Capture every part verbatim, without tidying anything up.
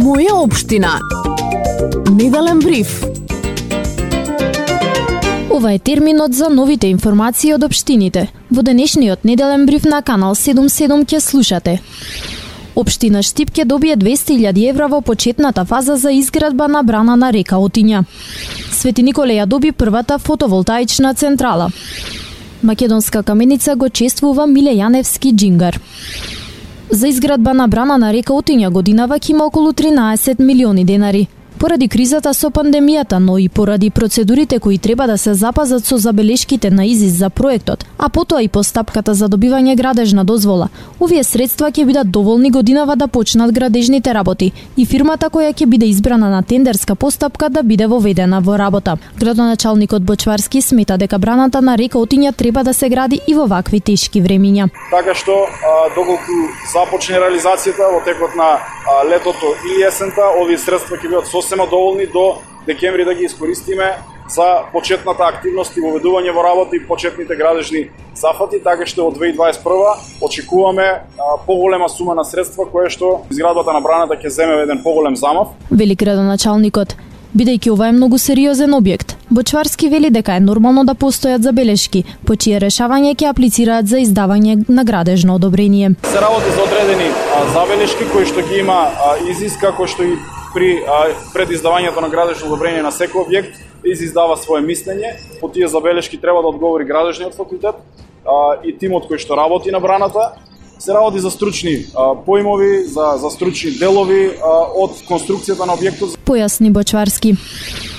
Моја општина. Неделен бриф. Ова е терминот за новите информации од општините. Во денешниот неделен бриф на канал седумдесет и седум ќе слушате. Општина Штип ќе добие двесте илјади евра во почетната фаза за изградба на брана на река Отиња. Свети Николе ја доби првата фотоволтаична централа. Македонска каменица го чествува Миле Јаневски джингар. За изградба на брана на река Отиња годинава ќе има околу тринаесет милиони денари. Поради кризата со пандемијата, но и поради процедурите кои треба да се запазат со забелешките на ИЗИС за проектот, а потоа и постапката за добивање градежна дозвола, овие средства ќе бидат доволни годинава да почнат градежните работи и фирмата која ќе биде избрана на тендерска постапка да биде воведена во работа. Градоначалникот Бочварски смета дека браната на река Отиња треба да се гради и во вакви тешки времиња. Така што доколку започне реализацијата во текот на а, летото или есента, овие средства ќе бидат сосема доволни до декември да ги искористиме за почетната активност и воведување во работа и почетните градежни зафати, така што од две илјади дваесет и прва очекуваме а, поголема сума на средства која што изградбата на браната ќе земе еден поголем замав. Вели градоначалникот. Бидејќи ова е многу сериозен објект, Бочварски вели дека е нормално да постојат забелешки, по чие решавање ќе аплицираат за издавање на градежно одобрение. Се работи за одредени а, забелешки кои што ги има а, ИЗИС, како што и при а, пред издавањето на градежно одобрение на секој објект, ИЗИС дава свое мислење. По тие забелешки треба да одговори градежниот факултет а, и тимот кој што работи на браната. Се работи за стручни а, поимови, за, за стручни делови а, од конструкцијата на објектот. Појасни Бочварски.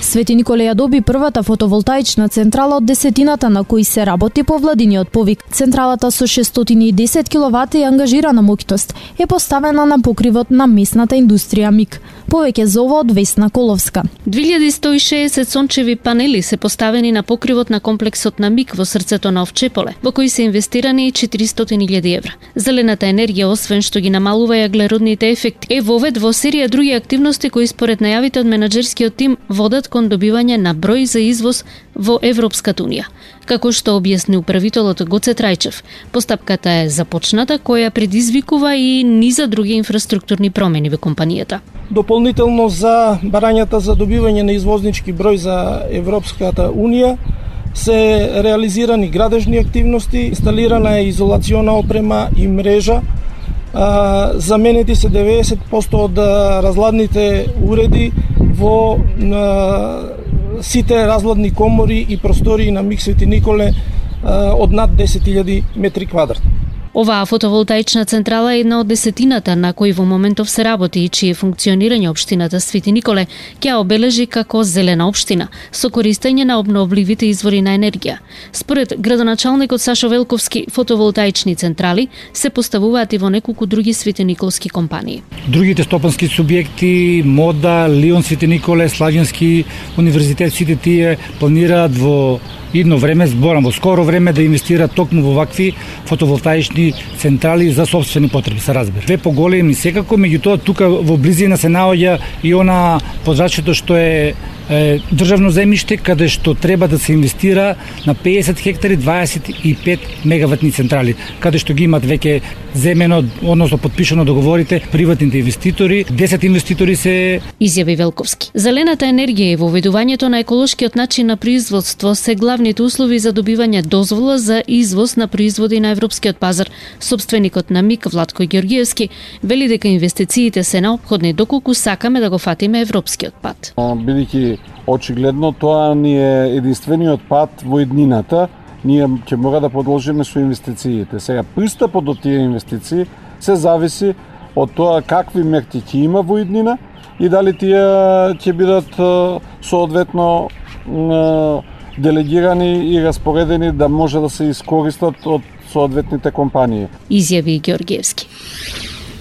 Свети Николе ја доби првата фотоволтаична централа од десетината на кои се работи по владиниот повик. Централата со шестстотини и десет киловати и ангажирана моќност е поставена на покривот на местната индустрија МИК. Повеќе за ова од Весна Коловска. две илјади сто и шеесет сончеви панели се поставени на покривот на комплексот на МИК во срцето на Овчеполе, во кои се инвестирани четиристотини илјади евра. Зелената енергија, освен што ги намалува јаглеродните ефекти, е вовед во серија други активности кои според најавите од менаџерскиот тим водат кон добивање на број за извоз во Европската унија. Како што објасни управителот Гоце Трајчев, постапката е започната која предизвикува и низа други инфраструктурни промени во компанијата. Дополнително за барањата за добивање на извознички број за Европската унија се реализирани градежни активности, инсталирана е изолациона опрема и мрежа, а, заменети се деветдесет проценти од разладните уреди во а, сите разладни комори и простории на МИК Свети Николе а, од над десет илјади метри квадратни. Оваа фотоволтаична централа е една од десетината на кои во моментов се работи и чие функционирање општината Свети Николе ќе обележи како зелена општина со користење на обновливите извори на енергија. Според градоначалникот Сашо Велковски, фотоволтаични централи се поставуваат и во неколку други светиниколски компании. Другите стопански субјекти, Мода, Лион Свети Николе, Славјански универзитет, сите тие планираат во идно време, зборам во скоро време, да инвестираат токму во вакви фотоволтаични централи за собствени потреби, се разбира. Две поголеми секако, меѓутоа тука во близина се наоѓа и она подрачјето што е, е државно земјиште, каде што треба да се инвестира на пеесет хектари дваесет и пет мегаватни централи, каде што ги имат веќе земено, односно подпишано договорите приватните инвеститори. десет инвеститори се изјави Велковски. Зелената енергија и воведувањето на еколошкиот начин на производство се главните услови за добивање дозвола за извоз на производи на европскиот пазар. Собственикот на МИК Владко Ѓоргиевски вели дека инвестициите се неопходни доколку сакаме да го фатиме европскиот пат. Бидејќи очигледно тоа ни е единствениот пат во иднината, ние ќе мора да продолжиме со инвестициите. Сега пристапот до тие инвестиции се зависи од тоа какви мерки ќе има во иднина и дали тие ќе бидат соодветно делегирани и распоредени да може да се искористат од соодветните компании. Изјави Ѓоргиевски.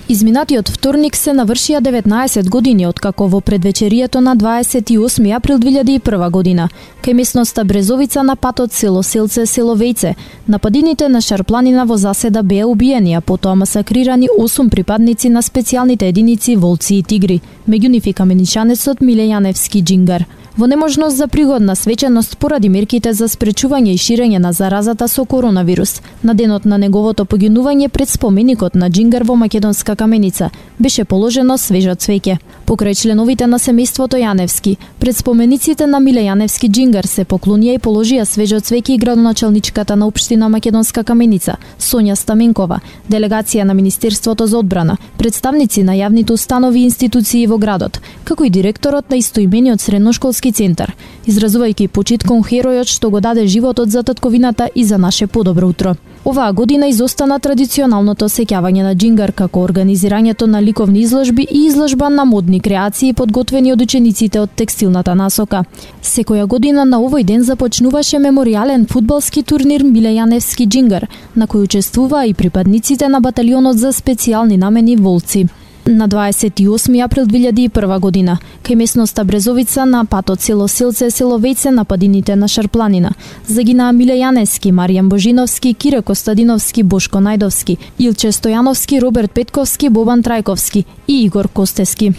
Изминатиот вторник се навршија деветнаесет години откако во предвечерието на дваесет и осми април две илјади и прва година кај местноста Брезовица на патот село Селце село Вејце нападините на Шарпланина во заседа беа убиени, а потоа масакрирани осум припадници на специјалните единици Волци и Тигри, меѓу нив и каменичанецот Миле Јаневски джингар. Во неможност за пригодна свеченост поради мерките за спречување и ширење на заразата со коронавирус, на денот на неговото погинување пред споменикот на джингар во Македонска каменица беше положено свежо цвеќе. Покрај членовите на семејството Јаневски, пред спомениците на Миле Јаневски Џингар се поклонија и положија свежо цвеќе и градоначалничката на општина Македонска Каменица, Сонја Стаменкова, делегација на Министерството за одбрана, представници на јавните установи и институции во градот, како и директорот на истоимениот средношколски центар, изразувајќи почит кон херојот што го даде животот за татковината и за наше подобро утро. Оваа година изостана традиционалното сеќавање на Џингар како организирањето на ликовни изложби и изложба на модни креации подготвени од учениците од текстилната насока. Секоја година на овој ден започнуваше меморијален фудбалски турнир Миле Јаневски Џингар, на кој учествуваа и припадниците на баталионот за специјални намени Волци. На дваесет и осми април две илјади и прва година, кај местноста Брезовица на патот село Силце, село Вејце на падините на Шарпланина, загинаа Миле Јаневски, Маријан Божиновски, Кире Костадиновски, Бошко Најдовски, Илче Стојановски, Роберт Петковски, Бобан Трајковски и Игор Костески.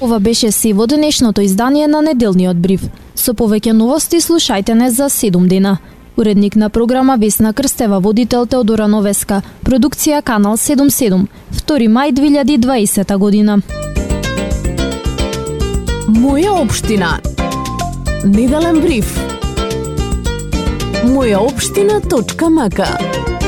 Ова беше се во денешното издание на Неделниот бриф. Со повеќе новости слушајте не за седум дена. Уредник на програма Весна Крстева, водител Теодора Новеска, продукција Канал седум седум, втори мај две илјади и дваесета година. Моја општина. Неделен бриф. моја општина точка м к